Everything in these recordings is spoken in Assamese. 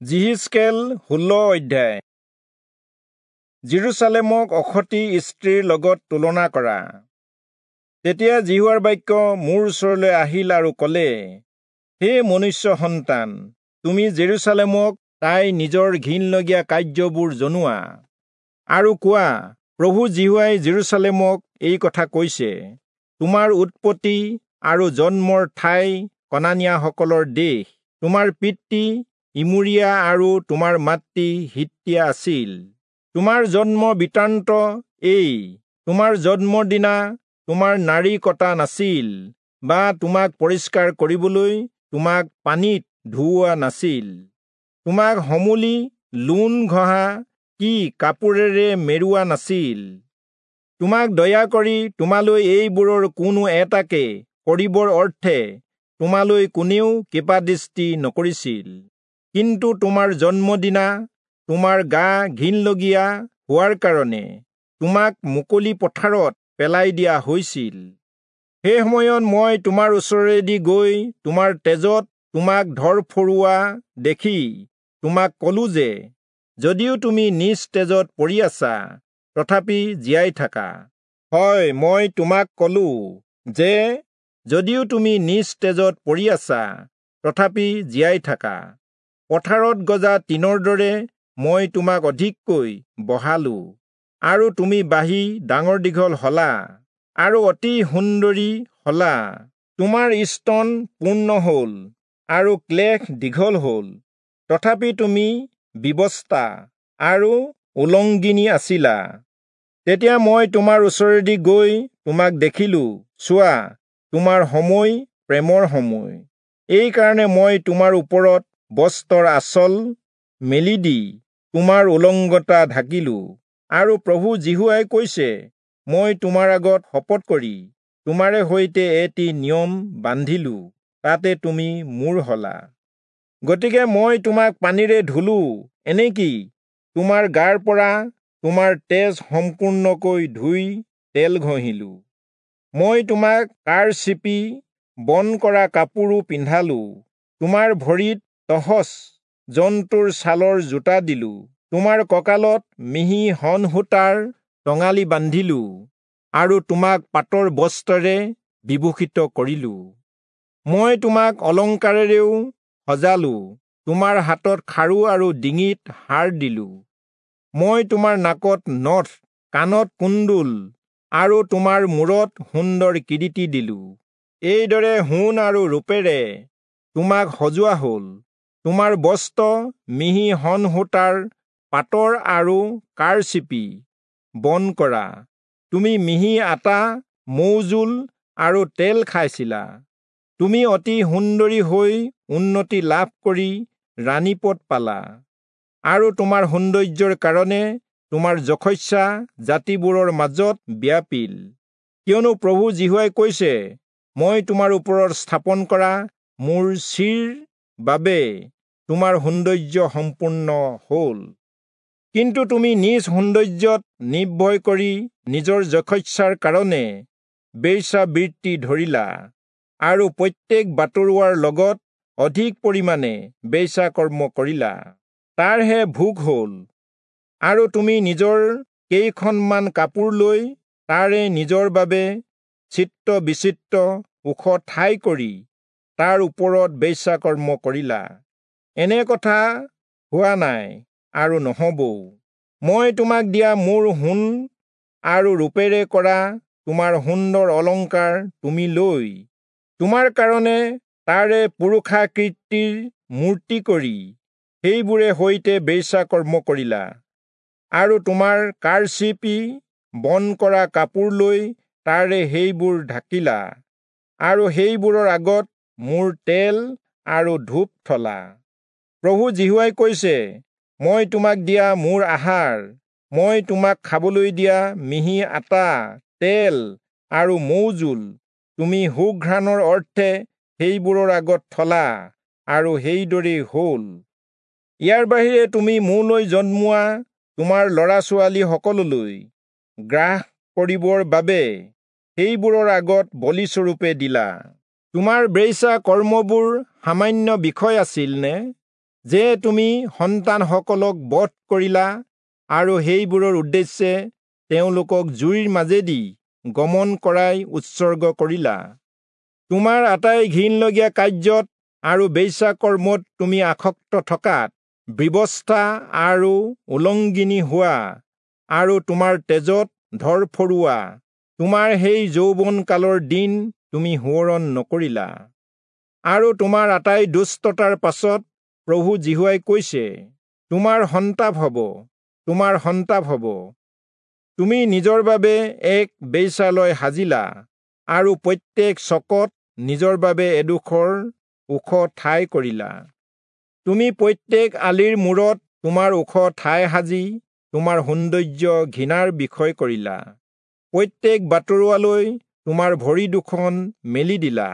যিহিষ্কেল 16 অধ্যায়। যিৰূচালেমক অসতী স্ত্ৰীৰ লগত তুলনা কৰা। তেতিয়া যিহোৱাৰ বাক্য মোৰ ওচৰলৈ আহিল আৰু ক'লে, হে মনুষ্য সন্তান, তুমি জেৰুচালেমক তাই নিজৰ ঘিণলগীয়া কাৰ্যবোৰ জনোৱা আৰু কোৱা, প্ৰভু যিহোৱাই জেৰুচালেমক এই কথা কৈছে, তোমাৰ উৎপত্তি আৰু জন্মৰ ঠাই কনানীয়াসকলৰ দেশ, তোমাৰ পিতৃ ইমূৰীয়া আৰু তোমাৰ মাতৃ হিত্তীয়া আছিল। তোমাৰ জন্ম বৃত্তান্ত এই, তোমাৰ জন্মৰ দিনা তোমাৰ নাড়ী কটা নাছিল বা তোমাক পৰিষ্কাৰ কৰিবলৈ তোমাক পানীত ধুওৱা নাছিল। তোমাক সমূলি লোণ ঘঁহা কি কাপোৰেৰে মেৰোৱা নাছিল। তোমাক দয়া কৰি তোমালৈ এইবোৰৰ কোনো এটাকে কৰিবৰ অৰ্থে তোমালৈ কোনেও কৃপাদৃষ্টি নকৰিছিল। কিন্তু তোমাৰ জন্মদিনা তোমাৰ গা ঘিণলগীয়া হোৱাৰ কাৰণে তোমাক মুকলি পথাৰত পেলাই দিয়া হৈছিল। সেই সময়ত মই তোমাৰ ওচৰেদি গৈ তোমাৰ তেজত তোমাক ধৰফৰোৱা দেখি তোমাক কলো যে, যদিও তুমি নিজ তেজত পৰি আছা, তথাপি জীয়াই থাকা। হয়, মই তোমাক কলো যে, যদিও তুমি নিজ তেজত পৰি আছা, তথাপি জীয়াই থাকা। পথাৰত গজা তৃণৰ দৰে মই তোমাক অধিককৈ বঢ়ালো, আৰু তুমি বাঢ়ি ডাঙৰ দীঘল হলা আৰু অতি সুন্দৰী হলা। তোমাৰ স্তন পূৰ্ণ হল আৰু ক্লেশ দীঘল হল, তথাপি তুমি বিৱস্তা আৰু উলংগিনী আছিলা। তেতিয়া মই তোমাৰ ওচৰেদি গৈ তোমাক দেখিলো, চোৱা, তোমাৰ সময় প্ৰেমৰ সময়। এইকাৰণে মই তোমাৰ ওপৰত বস্ত্ৰৰ আঁচল মেলি দি তোমাৰ উলংগতা ঢাকিলো। আৰু প্ৰভু যিহোৱাই কৈছে, মই তোমাৰ আগত শপত কৰি তোমাৰে সৈতে এটি নিয়ম বান্ধিলো, তাতে তুমি মোৰ হলা। গতিকে মই তোমাক পানীৰে ধুলো, এনেকি তোমাৰ গাৰ পৰা তোমাৰ তেজ সম্পূৰ্ণকৈ ধুই তেল ঘঁহিলো। মই তোমাক কাঁড় চিপি বন কৰা কাপোৰো পিন্ধালো, তোমাৰ ভৰিত তহচ জন্তুৰ ছালৰ জোতা দিলো, তোমাৰ কঁকালত মিহি শণসূতাৰ টঙালি বান্ধিলো আৰু তোমাক পাটৰ বস্ত্ৰেৰে বিভূষিত কৰিলো। মই তোমাক অলংকাৰেৰেও সজালো, তোমাৰ হাতত খাৰু আৰু ডিঙিত হাৰ দিলো। মই তোমাৰ নাকত নথ, কাণত কুণ্ডুল আৰু তোমাৰ মূৰত সুন্দৰ কিৰীটি দিলো। এইদৰে সোণ আৰু ৰূপেৰে তোমাক সজোৱা হল। তোমাৰ বস্ত্ৰ মিহি শণসূতাৰ পাটৰ আৰু কাঁড়চিপি বন কৰা। তুমি মিহি আটা, মৌজোল আৰু তেল খাইছিলা। তুমি অতি সুন্দৰী হৈ উন্নতি লাভ কৰি ৰাণীপদ পালা, আৰু তোমাৰ সৌন্দৰ্যৰ কাৰণে তোমাৰ যশস্যা জাতিবোৰৰ মাজত ব্যাপিল। কিয়নো প্ৰভু যিহোৱাই কৈছে, মই তোমাৰ ওপৰত স্থাপন কৰা মোৰ শ্ৰীৰ বাবে তোমাৰ সৌন্দৰ্য সম্পূৰ্ণ হল। কিন্তু তুমি নিজ সৌন্দৰ্যত নিৰ্ভয় কৰি নিজৰ যশস্যাৰ কাৰণে বেশ্যাবৃত্তি ধৰিলা, আৰু প্ৰত্যেক বাটৰুৱাৰ লগত অধিক পৰিমাণে বেশ্যাকৰ্ম কৰিলা, তাৰহে ভোগ হল। আৰু তুমি নিজৰ কেইখনমান কাপোৰ লৈ তাৰে নিজৰ বাবে চিত্ৰ বিচিত্ৰ ওখ ঠাই কৰি তাৰ ওপৰত বেশ্যাকৰ্ম কৰিলা। এনে কথা হোৱা নাই আৰু নহবও। মই তোমাক দিয়া মোৰ সোণ আৰু ৰূপেৰে কৰা তোমাৰ সুন্দৰ অলংকাৰ তুমি লৈ তোমাৰ কাৰণে তাৰে পুৰুষাকৃতিৰ মূৰ্তি কৰি সেইবোৰে সৈতে বেশ্যাকৰ্ম কৰিলা, আৰু তোমাৰ কাঁড়চিপি বন কৰা কাপোৰ লৈ তাৰে সেইবোৰ ঢাকিলা, আৰু সেইবোৰৰ আগত মোৰ তেল আৰু ধূপ থলা। প্ৰভু যিহোৱাই কৈছে, মই তোমাক দিয়া মোৰ আহাৰ, মই তোমাক খাবলৈ দিয়া মিহি আটা, তেল আৰু মৌজোল তুমি সুঘ্ৰাণৰ অৰ্থে সেইবোৰৰ আগত থলা, আৰু সেইদৰেই হল। ইয়াৰ বাহিৰে তুমি মোলৈ জন্মোৱা তোমাৰ ল'ৰা ছোৱালীসকললৈ গ্ৰাস কৰিবৰ বাবে সেইবোৰৰ আগত বলিস্বৰূপে দিলা। তোমাৰ বেশ্যা কৰ্মবোৰ সামান্য বিষয় আছিল নে? যে তুমি সন্তানসকলক বধ কৰিলা আৰু সেইবোৰৰ উদ্দেশ্যে তেওঁলোকক জুইৰ মাজেদি গমন কৰাই উৎসৰ্গ কৰিলা। তোমাৰ আটাই ঘিণলগীয়া কাৰ্যত আৰু বেশ্যাকৰ্মত তুমি আসক্ত থকাত ব্যৱস্থা আৰু উলংগিনী হোৱা আৰু তোমাৰ তেজত ধৰফৰোৱা তোমাৰ সেই যৌৱন কালৰ দিন তুমি সোঁৱৰণ নকৰিলা। আৰু তোমাৰ আটাই দুষ্টতাৰ পাছত প্ৰভু যিহোৱাই কৈছে, তোমাৰ সন্তাপ হ'ব, তোমাৰ সন্তাপ হ'ব। তুমি নিজৰ বাবে এক বেশ্যালয় সাজিলা আৰু প্ৰত্যেক চকত নিজৰ বাবে এডোখৰ ওখ ঠাই কৰিলা। তুমি প্ৰত্যেক আলিৰ মূৰত তোমাৰ ওখ ঠাই সাজি তোমাৰ সৌন্দৰ্য ঘৃণাৰ বিষয় কৰিলা। প্ৰত্যেক বাটৰুৱালৈ তোমাৰ ভৰি দুখন মেলি দিলা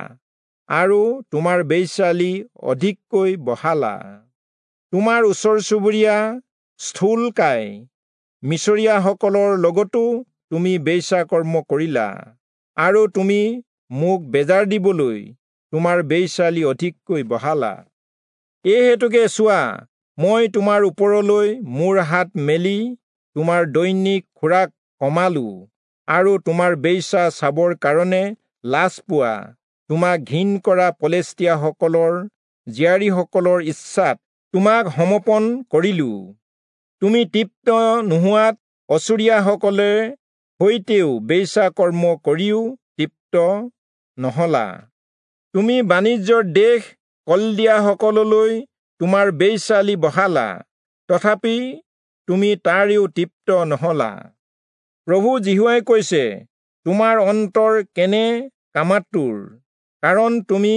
আৰু তোমাৰ বেশ্যালি অধিককৈ বঢ়ালা। তোমাৰ ওচৰ চুবুৰীয়া স্থূলকায় মিছৰীয়াসকলৰ লগতো তুমি বেশ্যাকৰ্ম কৰিলা আৰু তুমি মোক বেজাৰ দিবলৈ তোমাৰ বেশ্যালি অধিককৈ বঢ়ালা। এই হেতুকে চোৱা, মই তোমাৰ ওপৰলৈ মোৰ হাত মেলি তোমাৰ দৈনিক খোৰাক কমালো আৰু তোমাৰ বেশ্যা চাবৰ কাৰণে লাজ পোৱা তোমাক ঘিণ কৰা পলেষ্টীয়াসকলৰ জীয়াৰীসকলৰ ইচ্ছাত তোমাক সমৰ্পণ কৰিলো। তুমি তৃপ্ত নোহোৱাত অচুৰীয়াসকলে সৈতেও বেশ্যাকৰ্ম কৰিও তৃপ্ত নহলা। তুমি বাণিজ্যৰ দেশ কলদিয়াসকললৈ তোমাৰ বেশ্যালি বঢ়ালা, তথাপি তুমি তাৰেও তৃপ্ত নহলা। প্ৰভু যিহোৱাই কৈছে, তোমাৰ অন্তৰ কেনে কামাতুৰ, কাৰণ তুমি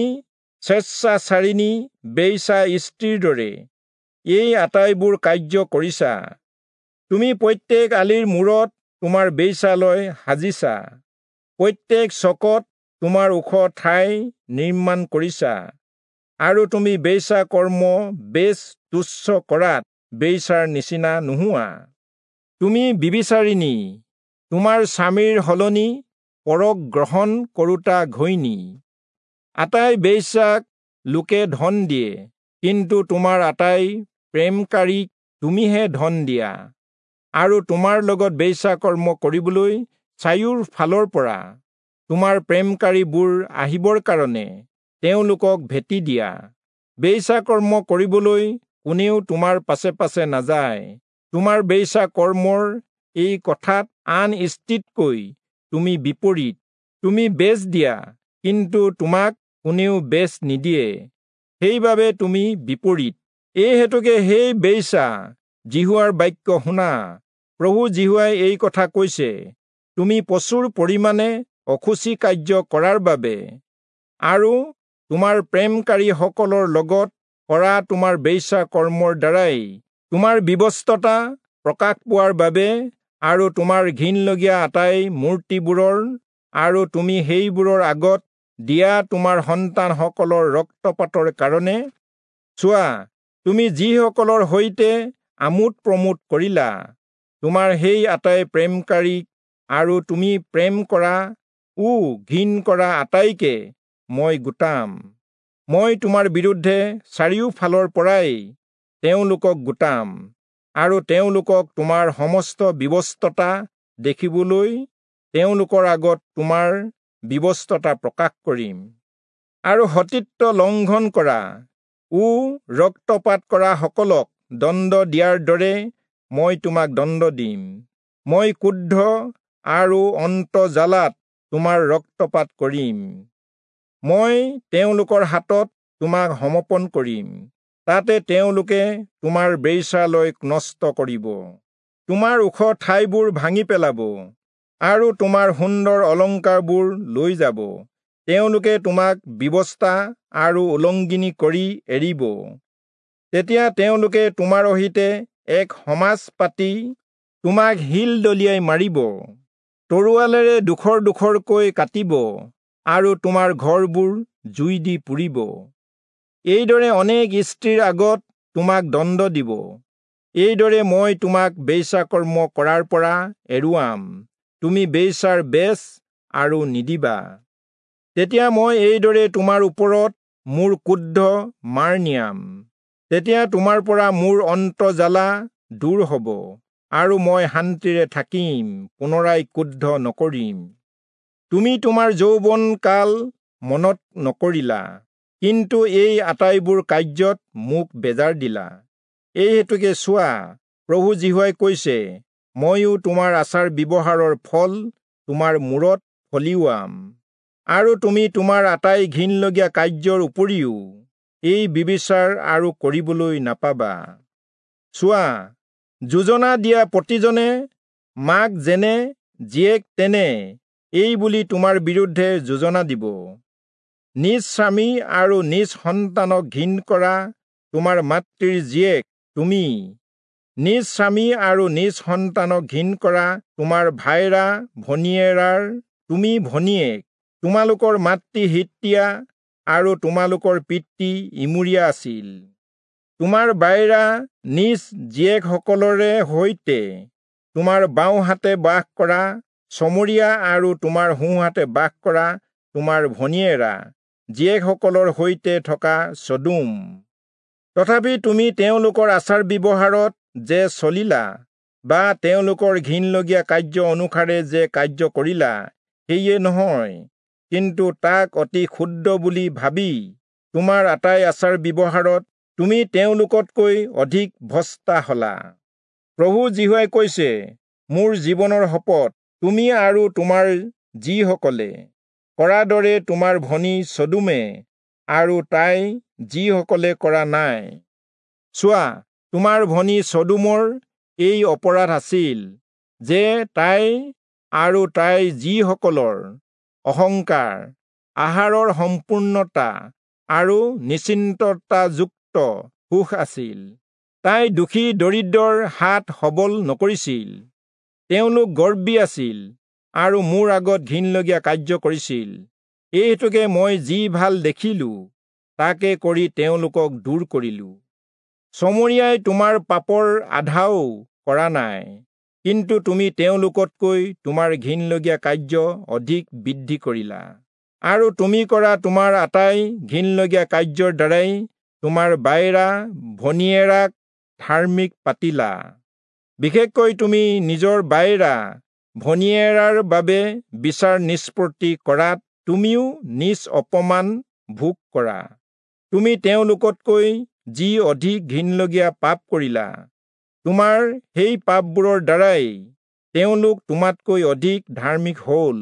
স্বেচ্ছাচাৰিণী বেশ্যা স্ত্ৰীৰ দৰে এই আটাইবোৰ কাৰ্য কৰিছা। তুমি প্ৰত্যেক আলিৰ মূৰত তোমাৰ বেশ্যালয় সাজিছা, প্ৰত্যেক চকত তোমাৰ ওখ ঠাই নিৰ্মাণ কৰিছা আৰু তুমি বেশ্যাকৰ্ম বেছ তুচ্ছ কৰাত বেশ্যাৰ নিচিনা নোহোৱা। তুমি ব্যভিচাৰিণী, তোমাৰ স্বামীৰ সলনি পৰক গ্ৰহণ কৰোঁতা ঘৈণী। আটাই বেশ্যাক লোকে ধন দিয়ে, কিন্তু তোমাৰ আটাই প্ৰেমকাৰীক তুমিহে ধন দিয়া আৰু তোমাৰ লগত বেশ্যাকৰ্ম কৰিবলৈ চাৰিওৰ ফালৰ পৰা তোমাৰ প্ৰেমকাৰীবোৰ আহিবৰ কাৰণে তেওঁলোকক ভেটি দিয়া। বেশ্যাকৰ্ম কৰিবলৈ কোনেও তোমাৰ পাছে পাছে নাযায়। তোমাৰ বেশ্যাকৰ্মৰ এই কথাত আন স্ত্ৰীতকৈ তুমি বিপৰীত। তুমি বেচ দিয়া, কিন্তু তোমাক কোনেও বেচ নিদিয়ে, সেইবাবে তুমি বিপৰীত। এই হেতুকে সেই বেশ্যা, যিহোৱাৰ বাক্য শুনা। প্ৰভু যিহোৱাই এই কথা কৈছে, তুমি প্ৰচুৰ পৰিমাণে অশুচি কাৰ্য কৰাৰ বাবে আৰু তোমাৰ প্ৰেমকাৰীসকলৰ লগত কৰা তোমাৰ বেশ্যাকৰ্মৰ দ্বাৰাই তোমাৰ বিৱস্ততা প্ৰকাশ পোৱাৰ বাবে আৰু তোমাৰ ঘিণলগীয়া আটাই মূৰ্তিবোৰৰ আৰু তুমি সেইবোৰৰ আগত দিয়া তোমাৰ সন্তানসকলৰ ৰক্তপাতৰ কাৰণে, চোৱা, তুমি যিসকলৰ সৈতে আমোদ প্ৰমোদ কৰিলা, তোমাৰ সেই আটাই প্ৰেমকাৰীক আৰু তুমি প্ৰেম কৰা ও ঘিণ কৰা আটাইকে মই গোটাম। মই তোমাৰ বিৰুদ্ধে চাৰিওফালৰ পৰাই তেওঁলোকক গোটাম আৰু তেওঁলোকক তোমাৰ সমস্ত বিৱস্ততা দেখিবলৈ তেওঁলোকৰ আগত তোমাৰ বিৱস্ততা প্ৰকাশ কৰিম। আৰু সতীত্ব লংঘন কৰা ও ৰক্তপাত কৰা সকলক দণ্ড দিয়াৰ দৰে মই তোমাক দণ্ড দিম। মই ক্ৰুদ্ধ আৰু অন্তৰ্জ্বালাত তোমাৰ ৰক্তপাত কৰিম। মই তেওঁলোকৰ হাতত তোমাক সমৰ্পণ কৰিম, তাতে তেওঁলোকে তোমাৰ বেশ্যালয়ক নষ্ট কৰিব, তোমাৰ ওখ ঠাইবোৰ ভাঙি পেলাব আৰু তোমাৰ সুন্দৰ অলংকাৰবোৰ লৈ যাব। তেওঁলোকে তোমাক ব্যৱস্থা আৰু উলংগিনী কৰি এৰিব। তেতিয়া তেওঁলোকে তোমাৰ অহিতে এক সমাজ পাতি তোমাক শিল দলিয়াই মাৰিব, তৰোৱালেৰে ডোখৰ ডোখৰকৈ কাটিব আৰু তোমাৰ ঘৰবোৰ জুই দি পুৰিব। এইদৰে অনেক স্ত্ৰীৰ আগত তোমাক দণ্ড দিব। এইদৰে মই তোমাক বেশ্যাকৰ্ম কৰাৰ পৰা এৰুৱাম, তুমি বেশ্যাৰ বেচ আৰু নিদিবা। তেতিয়া মই এইদৰে তোমাৰ ওপৰত মোৰ ক্ৰোধ মাৰ নিয়াম। তেতিয়া তোমাৰ পৰা মোৰ অন্তৰ্জ্বালা দূৰ হ'ব, আৰু মই শান্তিৰে থাকিম, পুনৰাই ক্ৰুদ্ধ নকৰিম। তুমি তোমাৰ যৌৱন কাল মনত নকৰিলা, কিন্তু এই আটাইবোৰ কাৰ্যত মোক বেজাৰ দিলা। এই হেতুকে চোৱা, প্ৰভু যিহোৱাই কৈছে, ময়ো তোমাৰ আচাৰ ব্যৱহাৰৰ ফল তোমাৰ মূৰত ফলিওৱাম, আৰু তুমি তোমাৰ আটাই ঘিণলগীয়া কাৰ্যৰ উপৰিও এই ব্যভিচাৰ আৰু কৰিবলৈ নাপাবা। চোৱা, যোজনা দিয়া প্ৰতিজনে মাক যেনে জীয়েক তেনে এই বুলি তোমাৰ বিৰুদ্ধে যোজনা দিব। নিজ স্বামী আৰু নিজ সন্তানক ঘিণ কৰা তোমাৰ মাতৃৰ জীয়েক তুমি, নিজ স্বামী আৰু নিজ সন্তানক ঘিণ কৰা তোমাৰ ভাইৰা ভনীয়েৰাৰ তুমি ভনীয়েক। তোমালোকৰ মাতৃ হিত্তীয়া আৰু তোমালোকৰ পিতৃ ইমূৰীয়া আছিল। তোমাৰ বাইৰা নিজ জীয়েকসকলৰে সৈতে তোমাৰ বাওঁহাতে বাস কৰা চমৰীয়া আৰু তোমাৰ সোঁহাতে বাস কৰা তোমাৰ ভনীয়েৰা জীয়েকসকলৰ সৈতে থকা চদোম। তথাপি তুমি তেওঁলোকৰ আচাৰ ব্যৱহাৰত যে চলিলা বা তেওঁলোকৰ ঘিণলগীয়া কাৰ্য অনুসাৰে যে কাৰ্য কৰিলা, সেয়ে নহয়, কিন্তু তাক অতি ক্ষুদ্ৰ বুলি ভাবি তোমাৰ আটাই আচাৰ ব্যৱহাৰত তুমি তেওঁলোকতকৈ অধিক ভ্ৰষ্টা হলা। প্ৰভু যিহোৱাই কৈছে, মোৰ জীৱনৰ শপত, তুমি আৰু তোমাৰ যিসকলে কৰা দৰে তোমাৰ ভনী চদোমে আৰু তাই যিসকলে কৰা নাই। চোৱা, তোমাৰ ভনী চদোমৰ এই অপৰাধ আছিল যে তাই আৰু তাই যিসকলৰ অহংকাৰ, আহাৰৰ সম্পূৰ্ণতা আৰু নিশ্চিন্ততাযুক্ত সুখ আছিল। তাই দুখী দৰিদ্ৰৰ হাত সবল নকৰিছিল। তেওঁলোক গৰ্বী আছিল আৰু মোৰ আগত ঘিণলগীয়া কাৰ্য কৰিছিল। এই হেতুকে মই যি ভাল দেখিলো তাকে কৰি তেওঁলোকক দূৰ কৰিলো। চমৰীয়াই তোমাৰ পাপৰ আধাও কৰা নাই, কিন্তু তুমি তেওঁলোকতকৈ তোমাৰ ঘিণলগীয়া কাৰ্য অধিক বৃদ্ধি কৰিলা, আৰু তুমি কৰা তোমাৰ আটাই ঘিণলগীয়া কাৰ্যৰ দ্বাৰাই তোমাৰ বাইৰা ভনীয়েৰাক ধাৰ্মিক পাতিলা। বিশেষকৈ তুমি নিজৰ বাইৰা ভনীয়েৰাৰ বাবে বিচাৰ নিষ্পত্তি কৰাত তুমিও নিজ অপমান ভোগ কৰা। তুমি তেওঁলোকতকৈ যি অধিক ঘিণলগীয়া পাপ কৰিলা, তোমাৰ সেই পাপবোৰৰ দ্বাৰাই তেওঁলোক তোমাতকৈ অধিক ধাৰ্মিক হ'ল।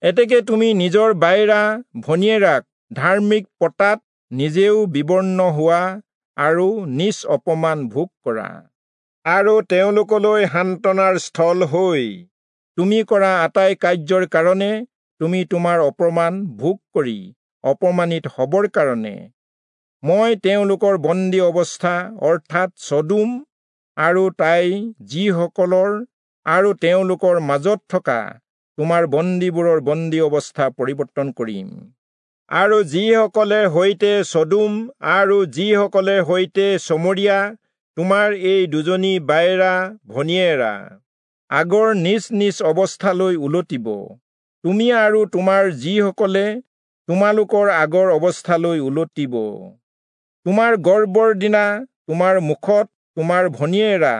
এতেকে তুমি নিজৰ বাইৰা ভনীয়েৰাক ধাৰ্মিক পতাত নিজেও বিবৰ্ণ হোৱা আৰু নিজ অপমান ভোগ কৰা, আৰু তেওঁলোকলৈ সান্তনাৰ স্থল হৈ তুমি কৰা আটাই কাৰ্যৰ কাৰণে তুমি তোমাৰ অপমান ভোগ কৰি অপমানিত হবৰ কাৰণে মই তেওঁলোকৰ বন্দী অৱস্থা, অৰ্থাৎ চদোম আৰু তাই যিসকলৰ আৰু তেওঁলোকৰ মাজত থকা তোমাৰ বন্দীবোৰৰ বন্দী অৱস্থা পৰিৱৰ্তন কৰিম। আৰু যিসকলে সৈতে চদোম আৰু যিসকলে সৈতে চমৰীয়া তোমাৰ এই দুজনী বাইৰা ভনীয়েৰা আগৰ নিজ নিজ অৱস্থালৈ উলটিব, তুমি আৰু তোমাৰ যিসকলে তোমালোকৰ আগৰ অৱস্থালৈ উলটিব। তোমাৰ গৰ্বৰ দিনা তোমাৰ মুখত তোমাৰ ভনীয়েৰা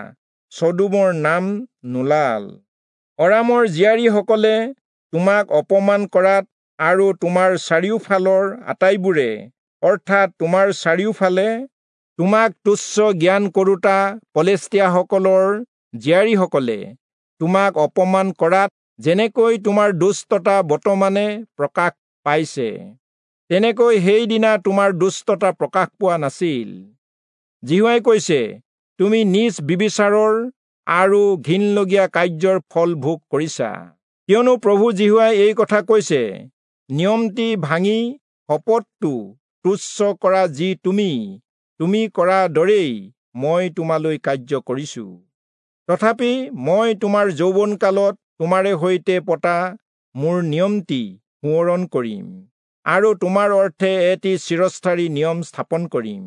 চদোমৰ নাম নোলাল। অৰামৰ জীয়াৰীসকলে তোমাক অপমান কৰাত আৰু তোমাৰ চাৰিওফালৰ আটাইবোৰে, অৰ্থাৎ তোমাৰ চাৰিওফালে তোমাক তুচ্ছ জ্ঞান কৰোঁতা পলেষ্টীয়াসকলৰ জীয়াৰীসকলে তোমাক অপমান কৰাত যেনেকৈ তোমাৰ দুষ্টতা বৰ্তমানে প্ৰকাশ পাইছে, তেনেকৈ সেইদিনা তোমাৰ দুষ্টতা প্ৰকাশ পোৱা নাছিল। যিহোৱাই কৈছে, তুমি নিজ ব্যভিচাৰৰ আৰু ঘিণলগীয়া কাৰ্যৰ ফল ভোগ কৰিছা। কিয়নো প্ৰভু যিহোৱাই এই কথা কৈছে, নিয়মটি ভাঙি শপতটো তুচ্ছ কৰা যি তুমি, তুমি কৰা দৰেই মই তোমালৈ কাৰ্য কৰিছো। তথাপি মই তোমাৰ যৌৱনকালত তোমাৰে সৈতে পতা মোৰ নিয়মটি সোঁৱৰণ কৰিম, আৰু তোমাৰ অৰ্থে এটি চিৰস্থায়ী নিয়ম স্থাপন কৰিম।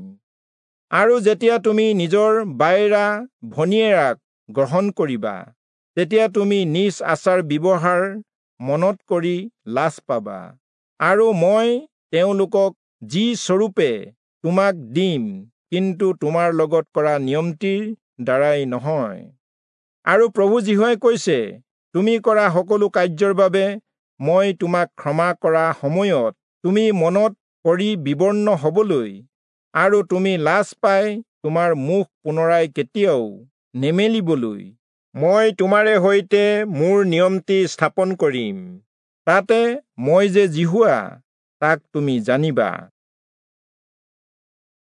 আৰু যেতিয়া তুমি নিজৰ বাইৰা ভনীয়েৰাক গ্ৰহণ কৰিবা, তেতিয়া তুমি নিজ আচাৰ ব্যৱহাৰ মনত কৰি লাজ পাবা, আৰু মই তেওঁলোকক যি স্বৰূপে তোমাক দিম কিন্তু তোমাৰ লগত কৰা নিয়মটিৰ দ্বাৰাই নহয়। আৰু প্ৰভু যিহোৱাই কৈছে, তুমি কৰা সকলো কাৰ্যৰ বাবে মই তোমাক ক্ষমা কৰা সময়ত তুমি মনত পৰি বিবৰ্ণ হবলৈ আৰু তুমি লাজ পাই তোমাৰ মুখ পুনৰাই কেতিয়াও নেমেলিবলৈ মই তোমাৰে সৈতে মোৰ নিয়মটি স্থাপন কৰিম। তাতে মই যে যিহোৱা, তাক তুমি জানিবা।